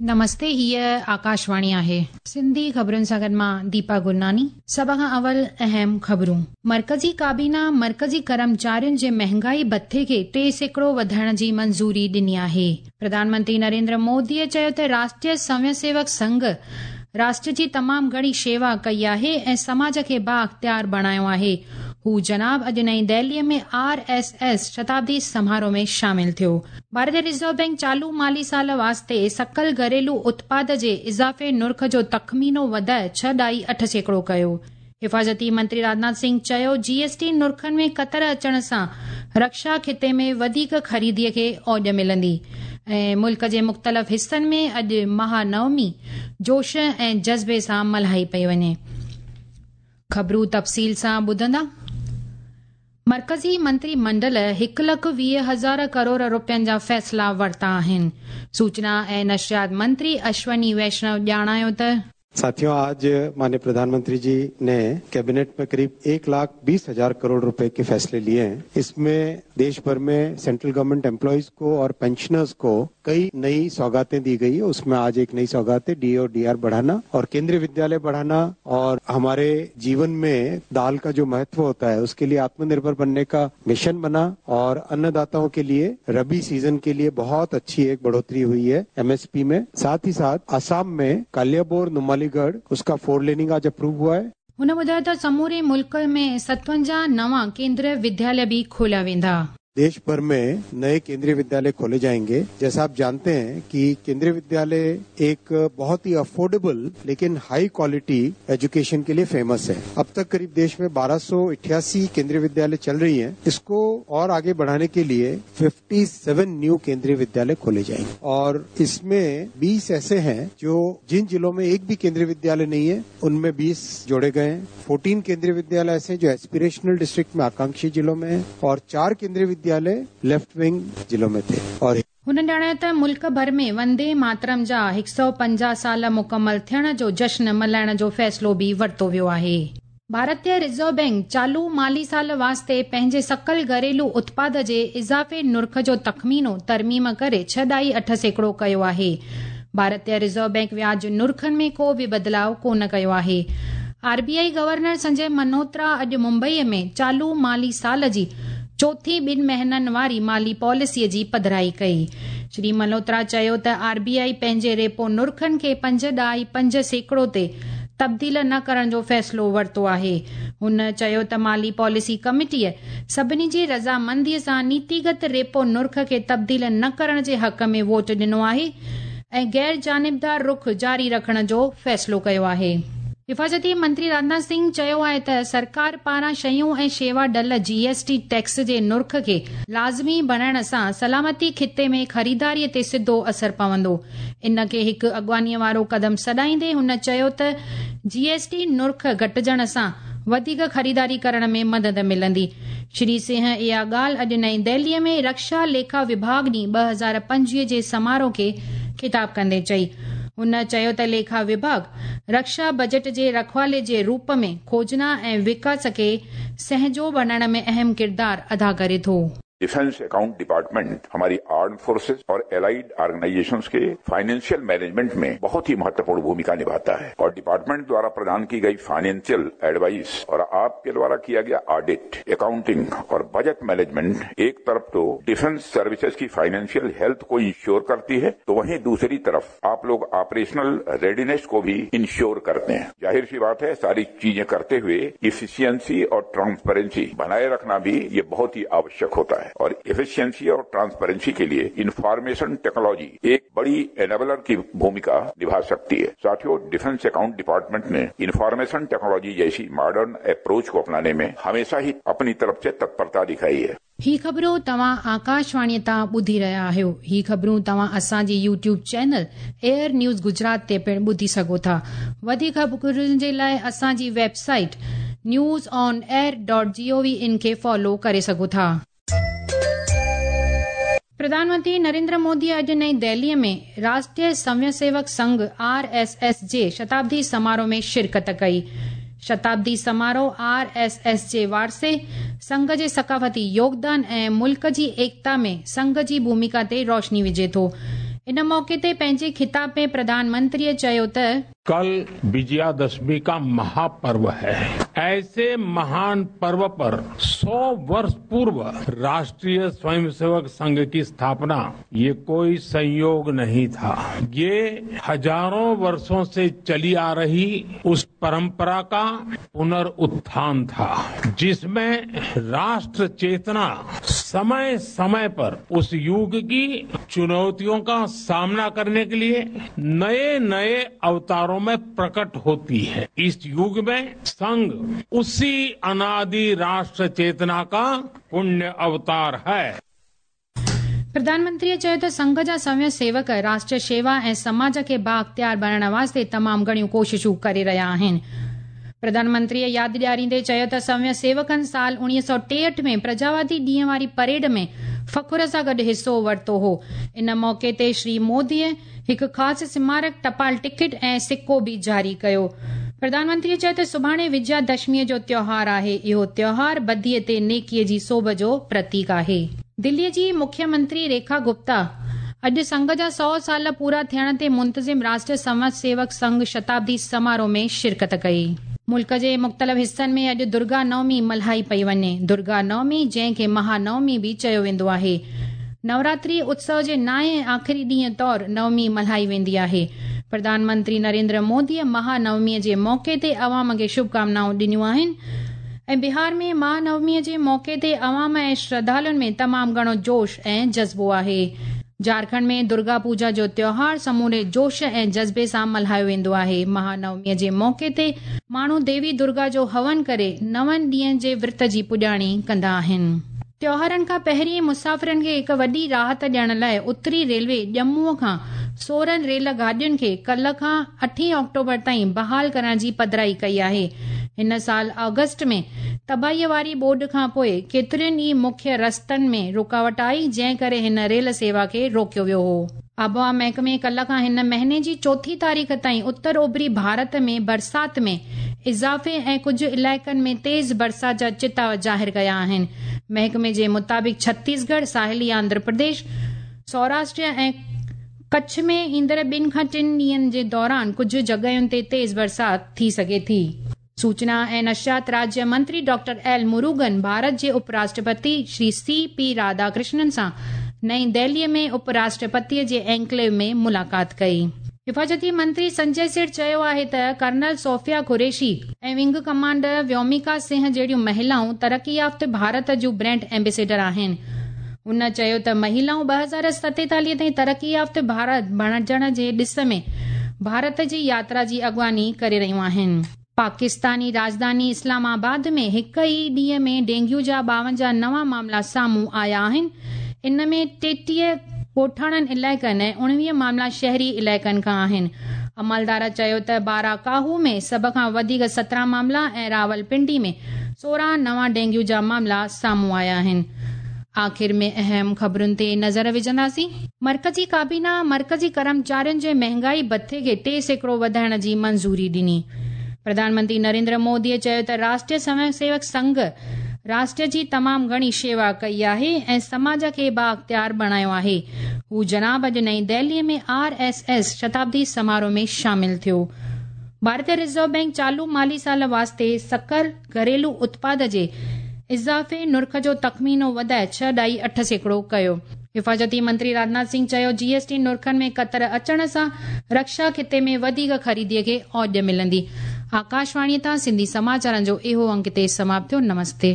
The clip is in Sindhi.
نمستي هيء آڪاشواڻي آهي. سنڌي خبرن سان گڏ مان ديپا گرناني. سڀ کان اول اهم خبرون. مرڪزي ڪابينا مرڪزي ڪرمچارين جي مهنگائي ڀٿي کي 3% وڌائڻ جي منظوري ڏني آهي. پرڌان منتري نريندر موديء چيو ته راشٽريه سوين سيوڪ سنگهه راشٽر جي تمام گهڻي شيوا ڪئي آهي ۽ سماج کي بااختيار بڻايو آهي. هو جناب اڄ نئين دهليء ۾ آر ايس ايس شتابدي سماروهه ۾ شامل ٿيو. ڀارتي رزرو بئنڪ چالو مالي سال واسطي سڪل گهريلو اتپاد جي اضافي نرخ جو تخمينو وڌائي 6.8% ڪيو. حفاظتي منتري راجناٿ سنگهه چيو جي ايس ٽي نرخن ۾ ڪتر اچڻ سان رڪشا خطي ۾ وڌيڪ خريدي کي اوڄ ملندي ۽ ملڪ جي مختلف حصن ۾ اڄ مها نومي جوش ۽ جذبي سان ملهائي پئي وڃي. خبرون تفصيل سان ٻڌندا. مرڪزي منتري منڊل 1,20,000 ڪروڙ روپين جا فيصلا ورتا آهن. سوچنا ۽ نشريات منتري اشوني ويشنو ڄاڻايو ته. ساٿيو آج مانيه پرڌانمنتري جي ني ڪيبينيٽ ۾ قريب 1,20,000 ڪروڙ روپي ڪي فيصلي ليي هين اسمين ديش ڀر مين سينٽرل گورنمينٽ ايمپلائيز ڪو اور پينشنرز ڪو ڪئي نئي سوغاتين the گئي هي اس مين آج ايڪ نئي سوغات هي ڊي اي اور ڊي آر بڙهانا اور ڪيندريه ودياليه بڙهانا اور هماري جيون مين دال ڪا جو مهتو هوتا هي اس ڪي ليي آتم نرڀر بنني ڪا مشن بنا اور ان داتائون ڪي ليي ربي سيزن ڪي ليي بهت اڇي ايڪ بڙهوتري هئي هي ايم ايس پي مين ساٿ هي ساٿ آسام مين ڪاليابور نوماليڳڙهه اس ڪا فور ليننگ آج اپروو هوا هي. هن ٻڌايو ته سموري ملڪ ۾ 57 نوان ڪيندريه ودياليه به کوليا ويندا. ديش ڀر ۾ نئي ڪيندريه ودياليه کولي جائينگي جيسا آپ جانتي هين ڪي ڪيندريه ودياليه ايڪ بهت هي افورڊيبل ليڪن هائي ڪوالٽي ايجوڪيشن ڪي ليي فيمس هي اب تڪ قريب ديش ۾ 1288 ڪيندريه ودياليه چل رهي هين اسڪو اور آگي بڙهاني ڪي ليي 57 نيو ڪيندريه ودياليه کولي جائينگي اور اس مين 20 ايسي هين جو جن ضلعو مين ايڪ ڀي ڪيندريه ودياليه نهين هي ان مين 20 جوڙي گئي هين 14 ڪيندريه ودياليه ايسي هين جو ايسپيريشنل ڊسٽرڪٽ مين آڪانڪشي ضلعو مين هين اور 4 ڪيندريه ودياليه ليفٽ ونگ ضلعو مين ٿي اور. هن ڄاڻايو ته ملڪ ڀر ۾ وندي ماترم جا 150 سال مڪمل ٿيڻ جو جشن ملهائڻ جو فيصلو به ورتو ويو آهي. ڀارتي رزرو بئنڪ چالو مالي سال واسطي پنهنجي سڪل گهريلو اتپاد جي اضافي نرخ جو تخمينو ترميم ڪري 6.8% ڪيو آهي. ڀارتي رزرو بئنڪ وياج نرخن ۾ ڪو به بدلاء ڪونه ڪيو آهي. R B I governor Sanjay Malhotra اڄ ممبئي ۾ چالو مالي سال جي چوٿين ٻن مهينن واري مالي پاليسي جي پڌرائي ڪئي. شري ملهوترا چيو ته آر بي آء پنهنجي ريپو نرخن کي 5.5% تي تبديل نه ڪرڻ جو فيصلو ورتو آهي. هن چيو ته مالي پاليسي ڪميٽيء سڀني جي رضامندي سان نيتيگت ريپو نرخ کي تبديل نه ڪرڻ جي حق ۾ ووٽ ڏنو آهي ۽ غير جانبدار رخ جاري رکڻ جو فيصلو ڪيو آهي. حفاظتي منتري راجناٿ سنگهه چيو آهي ته سرڪار پاران شيون ۽ شيوا ڍل، جي ايس ٽي، ٽيڪس جي نرخ کي لازمي بڻائڻ سان سلامتي خطي ۾ خريداري تي سڌو اثر پوندو. ان کي هڪ اڳواڻي وارو قدم سڏائيندي هن چيو ته جي ايس ٽي نرخ گهٽجڻ سان وڌيڪ خريداري ڪرڻ ۾ مدد ملندي. شري سنگهه اها ڳالهه اڄ نئين دهلي ۾ رڪشا ليکا وڀاڳ ڏينهن 2025 جي سماروهه کي خطاب ڪندي چئي. هن چيو ته ليکا وڀاڳ رڪشا بجيٽ جي رکوالي جي روپ ۾ کوجنا ۽ وڪاس کي سهنجو بڻائڻ ۾ اهم ڪردار ادا ڪري ٿو. ڊفينس اڪائونٽ ڊپارٽمينٽ هماري آرمڊ فورسز اور الائيڊ آرگنائيزيشنز ڪي فائنانشل مينيجمينٽ مين بهت هي مهتوپورڻ ڀوميڪا نڀاتا هي اور ڊپارٽمينٽ دوارا پردان ڪي گئي فائنانشل ايڊوائيس اور آپ ڪي دوارا ڪيا گيا آڊٽ، اڪائونٽنگ اور بجٽ مينيجمينٽ ايڪ طرف تو ڊفينس سروسز ڪي فائنانشل هيلٿ ڪو انشور ڪرتي هي تو وهين دوسري طرف آپ لوگ آپريشنل ريڊينيس ڪو ڀي انشور ڪرتي هين. ظاهر سي بات هي ساري چيزين ڪرتي هوئي افيشنسي اور ٽرانسپرنسي بنائي رکنا ڀي يه بهت هي آوشيڪ هوتا هي اور افيشنسي اور ٽرانسپرنسي ڪي ليي انفارميشن ٽيڪنالوجي ايڪ بڙي انيبلر ڪي ڀوميڪا نڀا سڪتي هي. ساٿيو ڊفينس اڪائونٽ ڊپارٽمينٽ ني انفارميشن ٽيڪنالوجي جيسي ماڊرن اپروچ ڪو اپناني مين هميشه هي اپني طرف سي تتپرتا دکائي هي. هي خبرون توهان آڪاشواڻي تان ٻڌي رهيا آهيو. هي خبرون توهان اسان جي YouTube channel AIR news Gujarat تي پڻ ٻڌي سگهو ٿا. وڌيڪ خبرن جي لاء اسان جي website news on air dot G O V in کي فالو ڪري سگهو ٿا. پرڌان منتري نريندر مودي اڄ نئين دهلي ۾ راشٽريه سوين سيوڪ سنگهه، آر ايس ايس، جي شتابدي سماروهه ۾ شرڪت ڪئي. شتابدي سماروهه آر ايس ايس جي وارثي، سنگهه جي ثقافتي يوگدان ۽ ملڪ جي ايڪتا ۾ سنگهه جي ڀوميڪا تي روشني وجهي ٿو. ان موقعي تي پنهنجي خطاب ۾ پرڌان منتريء چيو ته. कल विजयादशमी का महापर्व है। ऐसे महान पर्व पर 100 वर्ष पूर्व राष्ट्रीय स्वयंसेवक संघ की स्थापना, ये कोई संयोग नहीं था। ये हजारों वर्षों से चली आ रही उस परंपरा का पुनरुत्थान था, जिसमें राष्ट्र चेतना समय समय पर उस युग की चुनौतियों का सामना करने के लिए नए नए अवतारों में प्रकट होती है। इस युग में संघ उसी अनादि राष्ट्र चेतना का पुण्य अवतार है। प्रधान मंत्रीअ चयो त संघ जा स्वयं सेवक राष्ट्र शेवा ऐं समाज खे बाअख़्तियार बणाइण वास्ते तमामु घणियूं कोशिशूं करे रहिया आहिनि। प्रधान मंत्रीअ यादि ॾियारींदे चयो त स्वयं सेवकनि साल 1963 में प्रजावादी ॾींहं वारी परेड में फ़ख़्र सां गॾु हिसो वरितो हो। इन मौक़े ते श्री मोदीअ हिकु ख़ासि स्मारक टपाल टिकट ऐं सिको बि जारी कयो। प्रधानमंत्रीअ चयो त सुभाणे विजयादशमीअ जो त्योहार आहे। इहो त्योहार बदीअ ते नेकीअ जी सोभ जो प्रतीक आहे। दिल्लीअ जी मुख्यमंत्री रेखा गुप्ता अॼु संघ जा 100 साल पूरा थियण ते मुंतज़िम राष्ट्रीय स्वयं सेवक संघ शताब्दी समारोह में शिरकत कई। मुल्क जे मुख़्तलिफ़ हिसनि में अॼु दुर्गा नवमी मल्हाई पई वञे। दुर्गा नवमी, जंहिंखे महानवमी बि चयो वेंदो आहे, नवरात्रि उत्सव जे नाए ऐं आख़िरी ॾींहं तौर नवमी मल्हाई वेंदी आहे। प्रधानमंत्री नरेंद्र मोदीअ महानवमीअ जे मौक़े ते अवाम खे शुभकामनाऊं ॾिनियूं आहिनि ऐं बिहार में महानवमीअ जे मौक़े ते अवाम ऐं श्रद्धालुनि में तमामु घणो जोश ऐं जज़्बो आहे। झारखंड में दुर्गा पूजा जो त्योहार समूरे जोश ऐं जज़्बे सां मल्हायो वेंदो आहे। महानवमीअ जे मौक़े ते माण्हू देवी दुर्गा जो हवन करे 9 ॾींहनि जे विर्त जी पुॼाणी कंदा आहिनि। त्योहारनि खां पहिरीं मुसाफ़िरनि खे हिकु वॾी राहत ॾियण लाइ उत्तरी रेलवे ॼम्मूअ खां 16 रेल गाॾियुनि खे कल्ह खां 8 ऑक्टोबर ताईं बहाल करण जी पधराई कई आहे। हिन साल ऑगस्ट में तबाहीअ वारी ॿोॾ खां पोइ केतिरनि ई मुख्य रस्तनि में रुकावट आई, जंहिं करे हिन रेल सेवा खे रोकियो वियो हो। आबहावा महकमे कल्ह खां हिन महीने जी 4थी तारीख़ ताईं उत्तर ओभरी भारत में बरसात में इज़ाफ़े ऐं कुझु इलाइक़नि में तेज़ बरसात जा चिताव ज़ाहिर कया आहिनि। महकमे जे मुताबिक़ छत्तीसगढ़, साहिली आंध्र प्रदेश, सौराष्ट्र ऐं कच्छ में ईंदड़ 2 खां 3 ॾींहंनि जे दौरान कुझु जॻहियुनि ते तेज़ बरसात थी सघे थी। सूचना ऐं नशियात राज्य मंत्री डॉक्टर एल मुरुगन भारत जे उपराष्ट्रपति श्री सी.पी. राधाकृष्णन सां नई दिल्लीअ में उपराष्ट्रपतीअ जे एन्क्लेव में मुलाक़ात कई। हिफाज़ती मंत्री संजय सेठ चयो आहे त कर्नल सोफिया कुरैशी ऐं विंग कमांडर व्योमिका सिंह जहिड़ियूं महिलाऊं तरक़ी याफ़्त भारत जूं ब्रांड एम्बेसडर आहिनि। हुन चयो त महिलाऊं 2047 ताईं तरक़ी याफ़्त भारत बणजण जे ॾिस में भारत जी यात्रा जी अॻुवानी करे रहियूं आहिनि। पाकिस्तानी राजधानी इस्लामाबाद में हिकु ई ॾींहं में डेंग्यू जा 52 नवां मामला साम्हूं आया आहिनि। इन में 33 ॻोठाणनि इलाइक़नि ऐं 19 मामला शहरी इलाइक़नि खां आहिनि। अमलदार चयो त बाराकाहू में सभ खां वधीक 17 मामला ऐं रावलपिंडी में 16 नवां डेंग्यू जा मामला साम्हूं आया आहिनि। आख़िर में अहम ख़बरुनि ते नज़र विझंदासीं। मर्कज़ी काबीना मर्कज़ी कर्मचारियुनि जे महंगाई भथे खे 3% वधाइण जी मंज़ूरी ॾिनी। प्रधानमंत्री नरेंद्र मोदीअ चयो त राष्ट्रीय स्वयं सेवक संघ राष्ट्र जी तमामु घणी शेवा कई आहे ऐं समाज खे बाअख़्तियार बणायो आहे। हू जनाब अॼु नई दिल्लीअ में आर.एस.एस शताब्दी समारोह में शामिल थियो। भारतीय रिज़र्व बैंक चालू माली साल वास्ते सकर घरेलू उत्पाद जे इज़ाफ़े नुर्ख जो तख़मीनो वधाए 6.8% कयो। हिफाज़ती मंत्री राजनाथ सिंह चयो जीएसटी नुर्खनि में कतर अचण सां रक्षा खिते में वधीक ख़रीदीअ खे औज मिलंदी। आकाशवाणीअ तां सिंधी समाचारनि जो इहो अंक हिते समाप्त थियो। नमस्ते।